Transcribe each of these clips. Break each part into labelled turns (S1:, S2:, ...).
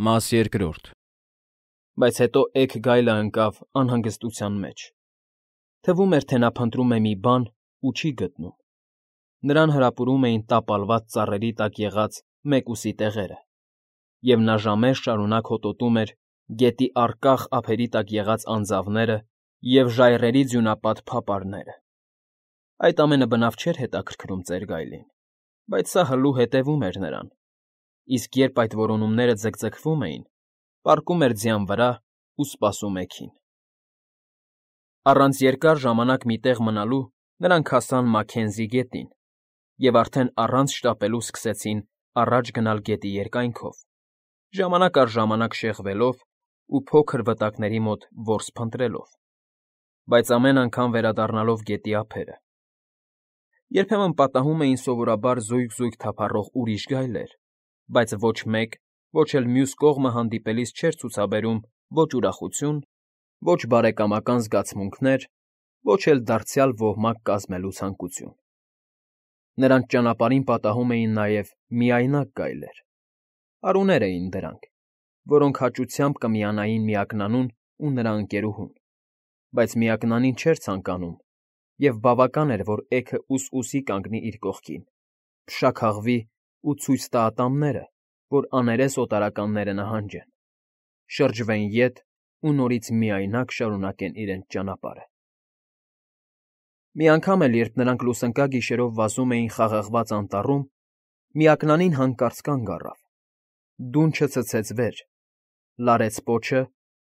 S1: Մաս երկրորդ։ Բայց հետո էգ գայլը ընկավ անհանգստության մեջ. թվում էր, թե նա փնտրում է մի բան ու չի գտնում։ Նրան հրապուրում էին տապալված ծառերի տակ եղած մեկուսի տեղերը, և նա ժամեր շարունակ հոտոտում էր գետի առկախ ափերի տակ եղած անձավները և ժայռերի ձյունապատ փապարները։ Այդ ամենը բնավ չէր հետաքրքրում ծեր գայլին, բայց սա հլու հետևում էր նրան, իսկ երբ այդ որոնումները ձգձգվում էին, պառկում էր ձյան վրա ու սպասում էգին։ Առանց երկար ժամանակ մի տեղ մնալու նրանք հասան Մաքքենզի գետին և արդեն առանց շտապելու սկսեցին առաջ գնալ գետի երկայնքով, ժամանակ առ ժամանակ շեղվելով ու փոքր վտակների մոտ որս փնտրելով, բայց ամեն անգամ վերադառնալով գետի ափերը։ Երբեմն պատահում էին սովորաբար զույգ թափառող ուրիշ գայլեր, բայց ոչ մեկ, ոչ էլ մյուս կողմը հանդիպելիս չէր ցուցաբերում ոչ ուրախություն, ոչ բարեկամական զգացմունքներ, ոչ էլ դարձյալ ոհմակ կազմելու ցանկություն։ Նրանց ճանապարհին պատահում էին նաև միայնակ գայլեր։ Արուներ էին դրանք, որոնք հաճությամբ կմիանային միակնանուն ու նրա ընկերուհուն, բայց միակնանին չէր ցանկանում, և բավական էր, որ էգը ուս֊ուսի կանգնի իր կողքին, փշաքաղվի ու ցույց տա ատամները, որ աներես օտարականները նահանջեն, շրջվեն ետ ու նորից միայնակ շարունակեն իրենց ճանապարհը։ Մի անգամ էլ, երբ նրանք լուսնկա գիշերով վազում էին խաղաղված անտառում, միակնանին հանկարծ կանգ առավ, դունչը ցցեց վեր, լարեց պոչը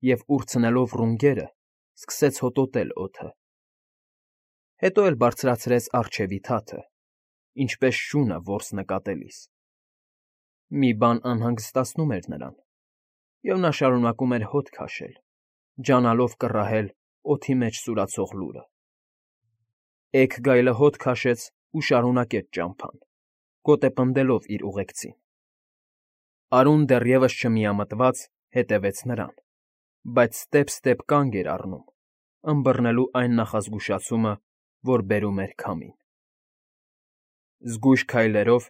S1: և, ուրցնելով ռունգերը, սկսեց հոտոտել օդը։ Հետո էլ բարձրացրեց առջևի թաթը, ինչպես շունը որս նկատելիս։ Մի բան անհանգստացնում էր նրան, և նա շարունակում էր հոտ քաշել, ջանալով կռահել օդի մեջ սուրացող լուրը։ Էգ գայլը հոտ քաշեց ու շարունակեց ճամփան, գոտեպնդելով իր ուղեկցին։ Արուն դեռևս չմիամտված հետևեց նրան, բայց ստեպ֊ստեպ կանգ էր առնում, ըմբռնելու այն նախազգուշացումը, որ բերում էր քամին։ Զգույշ քայլերով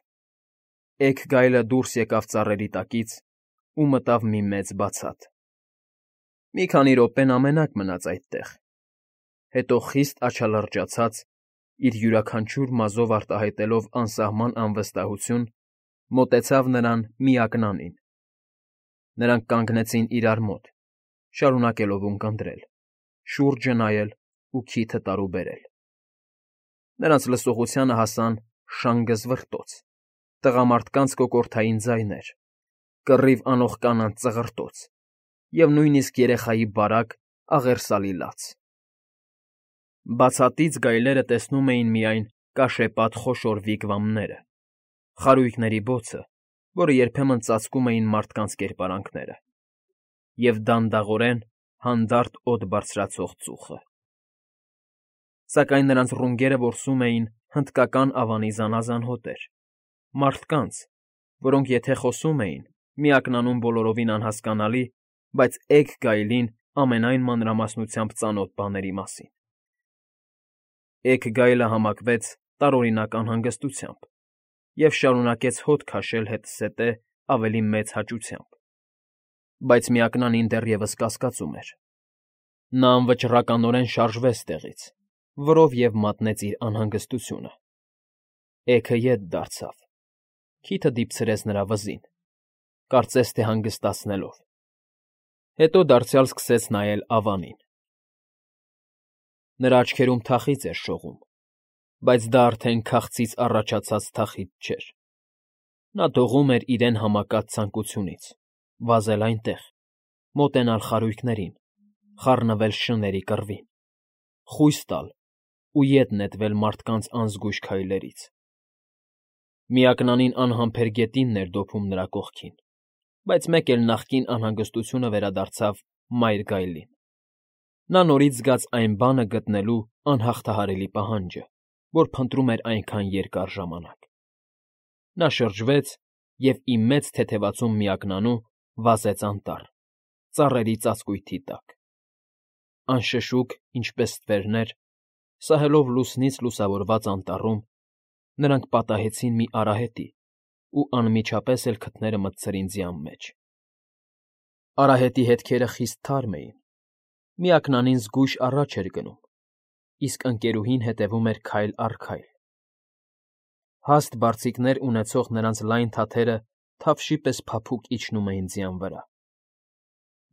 S1: էգ գայլը դուրս եկավ ծառերի տակից ու մտավ մի մեծ բացատ։ Մի քանի րոպե նա մենակ մնաց այդտեղ, հետո խիստ աչալրջացած, իր յուրաքանչյուր մազով արտահայտելով անսահման անվստահություն, մոտեցավ նրան միակնանին։ Նրանք կանգնեցին իրար մոտ, շարունակելով ունկնդրել, շուրջը նայել ու քիթը տարուբերել։ Նրանց լսողությանը հասան շանգզվրտոց, տղամարդկանց կոկորդային ձայներ, կռիվ անող կանանց ծղրտոց և նույնիսկ երեխայի բարակ, աղերսալի լաց։ Բացատից գայլերը տեսնում էին միայն կաշեպատ խոշոր վիգվամները, խարույկների բոցը, որը երբեմն ծածկում էին մարդկանց կերպարանքները, և դանդաղորեն հանդարտ օդ բարձրացող ծուխը։ Սակայն նրանց ռունգերը որսում էին հնդկական ավանի զանազան հոտեր, մարդկանց, որոնք եթե խոսում էին, միակնանում բոլորովին անհասկանալի, բայց էգ գայլին ամենայն մանրամասնությամբ ծանոթ բաների մասին։ Էգ գայլը համակվեց տարօրինակ անհանգստությամբ և շարունակեց հոտ քաշել հետզհետե ավելի մեծ հաճությամբ, բայց միակնանին դեռևս կասկածում էր։ Նա անվճռականորեն շարժվեց տեղից, որով և մատնեց իր անհանգստությունը։ Էգը ետ դարձավ, քիթը դիպցրեց նրա վզին, կարծես թե հանգստացնելով, հետո դարձյալ սկսեց նայել ավանին։ Նրա աչքերում թախիծ էր շողում, բայց դա արդեն քաղցից առաջացած թախիծ չէր։ Նա դողում էր իրեն համակած ցանկությունից՝ վազել այնտեղ, մոտենալ խարույկներին, խառնվել շների կռվին, խույս տալ ու ետ նետվել մարդկանց անզգույշ քայլերից։ Միակնանին անհամբեր գետինն էր դոփում նրա կողքին, բայց մեկ էլ նախկին անհանգստությունը վերադարձավ մայր գայլին։ Նա նորից զգաց այն բանը գտնելու անհաղթահարելի պահանջը, որ փնտրում էր այնքան երկար ժամանակ։ Նա շրջվեց և ի մեծ թեթևացում միակնանու վազեց անտառ, ծառերի ծածկույթի տակ։ Անշշուկ, ինչպես ստվերներ, սահելով լուսնից լուսավորված անտառում, նրանք պատահեցին մի արահետի ու անմիջապես էլ քթները մտցրին ձյան մեջ։ Արահետի հետքերը խիստ թարմ էին։ Միակնանին զգույշ առաջ էր գնում, իսկ ընկերուհին հետևում էր քայլ առ քայլ։ Հաստ բարձիկներ ունեցող նրանց լայն թաթերը թավշի պես փափուկ իջնում էին ձյան վրա։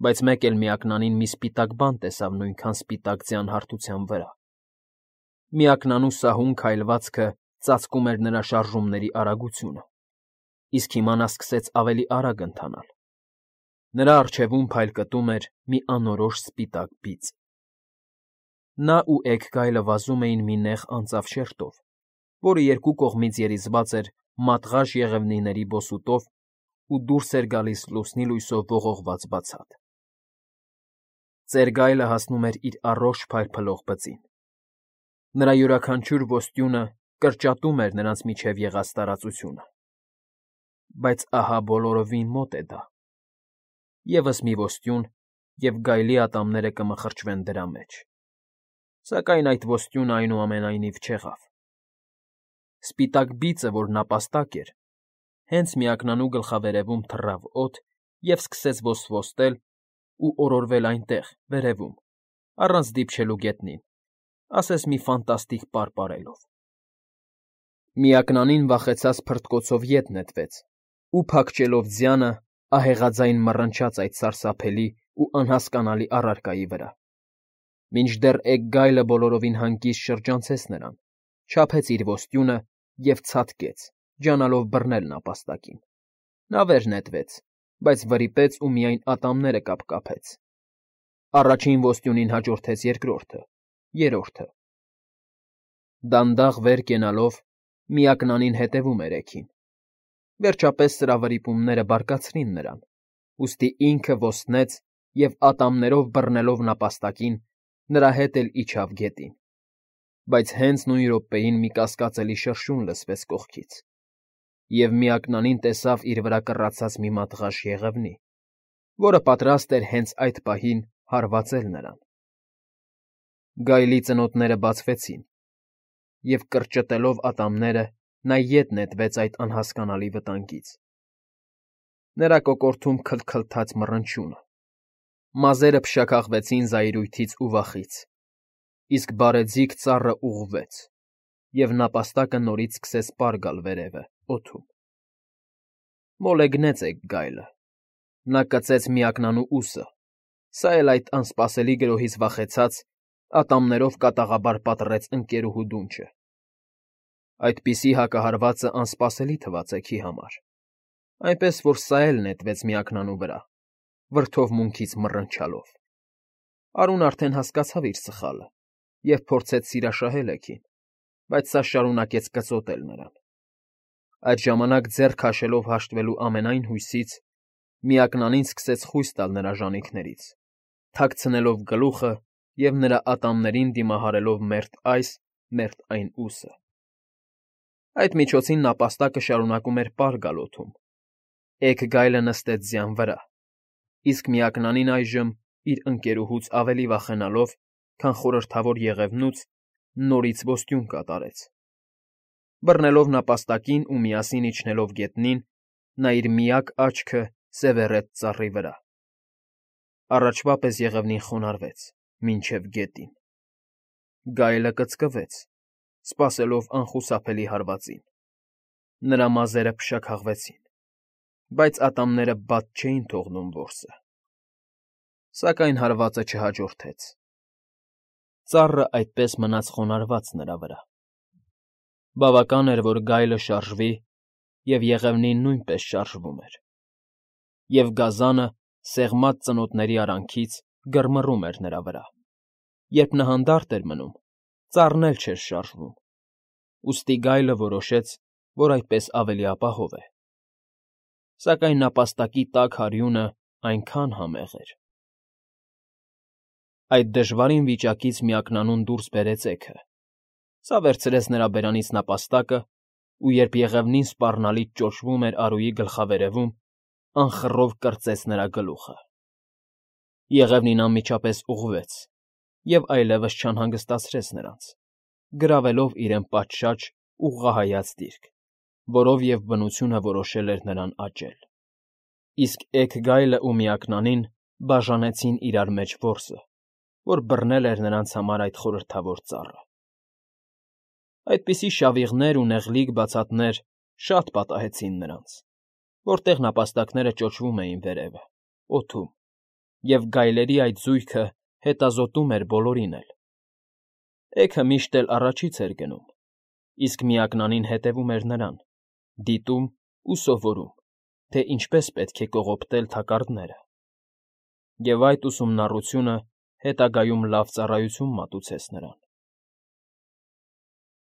S1: Բայց մեկ էլ միակնանին մի սպիտակ բան տեսավ նույնքան սպիտակ ձյան հարթության վրա։ Միակնանու սահուն քայլվածքը ծածկում էր նրա շարժումների արագությունը, իսկ հիմա նա սկսեց ավելի արագ ընթանալ։ Նրա առջևում փայլկտում էր մի անորոշ սպիտակ բիծ։ Նա ու էգգայլը վազում էին մի նեղ անծավ շերտով, որը երկու կողմից երիզված էր մատղաշ եղևնիների բոսուտով ու դուրս էր գալիս լուսնի լույսով ողողված բացատ։ Ծերգայլը հասնում էր իր առողջ փայլփլող բծին։ Նրա յուրաքանչյուր ոստյունը կրճատում էր նրանց միջև եղած տարածությունը։ Բայց ահա բոլորովին մոտ է դա։ Եվս մի ոստյուն, և գայլի ատամները կմխրճվեն դրա մեջ։ Սակայն այդ ոստյունը այնուամենայնիվ չեղավ։ Սպիտակ բիծը, որ նապաստակ էր, հենց միակնանու գլխավերևում թռավ օդ և սկսեց ոսվոստել ու օրորվել այնտեղ, վերևում, առանց դիպչելու գետնին, ասես մի ֆանտաստիկ պար պարելով։ Միակնանին վախեցած փրտկոցով ետ նետվեց ու, փակչելով ձյանը, ահեղաձայն մռնչաց այդ սարսափելի ու անհասկանալի առարկայի վրա։ Մինչդեռ էգգայլը բոլորովին հանգիստ շրջանցեց նրան, չափեց իր ոստյունը և ցատկեց, ջանալով բռնել նապաստակին։ Նա վեր նետվեց, բայց վրիպեց ու միայն ատամները կապկապեց։ Առաջին ոստյունին հաջորդեց երկրորդը, երրորդը։ Դանդաղ վեր կենալով միակնանին հետևում էր էգին։ Վերջապես սրա վրիպումները բարկացրին նրան, ուստի ինքը ոստնեց և ատամներով բռնելով նապաստակին, նրա հետ էլ իջավ գետին։ Բայց հենց նույն րոպեին մի կասկածելի շրշյուն լսվեց կողքից, և միակնանին տեսավ իր վրա կռացած մի մատղաշ եղևնի, որը պատրաստ էր հենց այդ պահին հարվածել նրան։ Գայլի ծնոտները բացվեցին, և, կրճտելով ատամները, նա ետ նետվեց այդ անհասկանալի վտանգից։ Նրա կոկորդում քլթքլթաց մռնչյունը, մազերը փշաքաղվեցին զայրույթից ու վախից, իսկ բարեձիգ ծառը ուղղվեց, և նապաստակը նորից սկսեց պար գալ վերևը, օդում։ Մոլեգնեց էգգայլը։ Նա կծեց միակնանու ուսը, սա էլ այդ անսպասելի գրոհից վախեցած, ատամներով կատաղաբար պատռեց ընկերուհու դունչը։ Այդպիսի հակահարվածը անսպասելի թվաց էգի համար, այնպես որ սա էլ նետվեց միակնանու վրա, վրդովմունքից մռնչալով։ Արուն արդեն հասկացավ իր սխալը և փորձեց սիրաշահել էգին, բայց սա շարունակեց կծոտել նրան։ Այդ ժամանակ, ձեռ քաշելով հաշտվելու ամենայն հույսից, միակնանին սկսեց խույս տալ նրա ժանիքներից, թաքցնելով գլուխը և նրա ատամներին դիմահարելով մերթ այս, մերթ այն ուսը։ Այդ միջոցին նապաստակը շարունակում էր պար գալ օդում։ Էգգայլը նստեց ձյան վրա, իսկ միակնանին այժմ, իր ընկերուհուց ավելի վախենալով, քան խորհրդավոր եղևնուց, նորից ոստյուն կատարեց։ Բռնելով նապաստակին ու միասին իջնելով գետնին, նա իր միակ աչքը սևեռեց ծառի վրա։ Առաջվա պես եղևնին խոնարհվեց մինչև գետին։ Գայլը կծկվեց, սպասելով անխուսափելի հարվածին։ Նրա մազերը փշաքաղվեցին, բայց ատամները բաց չէին թողնում որսը։ Սակայն հարվածը չհաջորդեց։ Ծառը այդպես մնաց խոնարհված նրա վրա։ Բավական էր, որ գայլը շարժվի, և եղևնին նույնպես շարժվում էր։ Եվ գազանը, սեղմած ծնոտների արանքից, գրմռում էր նրա վրա։ Երբ նա հանդարտ էր մնում, ծառն էլ չէր շարժվում, ուստի գայլը որոշեց, որ այդպես ավելի ապահով է։ Սակայն նապաստակի տաք հարյունը այնքան համեղ էր։ Այդ դժվարին վիճակից միակնանուն դուրս բերեց էգը։ Սա վերցրեց նրա բերանից նապաստակը ու, երբ եղևնին սպառնալից ճոճվում էր Արուի գլխավերևում, անխռով կրծեց նրա գլուխը։ Եղևնին անմիջապես ուղղվեց և այլևս չանհանգստացրեց նրանց, գրավելով իրեն պատշաճ, ուղղահայաց դիրք, որով և բնությունը որոշել էր նրան աճել։ Իսկ էգգայլը ու միակնանին բաժանեցին իրար մեջ որսը, որ բռնել էր նրանց համար այդ խորհրդավոր ծառը։ Այդպիսի շավիղներ ու նեղլիկ բացատներ շատ պատահեցին նրանց, որտեղ նապաստակները ճոճվում էին վերևը, օդում, և գայլերի այդ զույգը հետազոտում էր բոլորին էլ։ Էգը միշտ էլ առաջից էր գնում, իսկ միակնանին հետևում էր նրան, դիտում ու սովորում, թե ինչպես պետք է կողոպտել թակարդները, և այդ ուսումնառությունը հետագայում լավ ծառայություն մատուցեց նրան։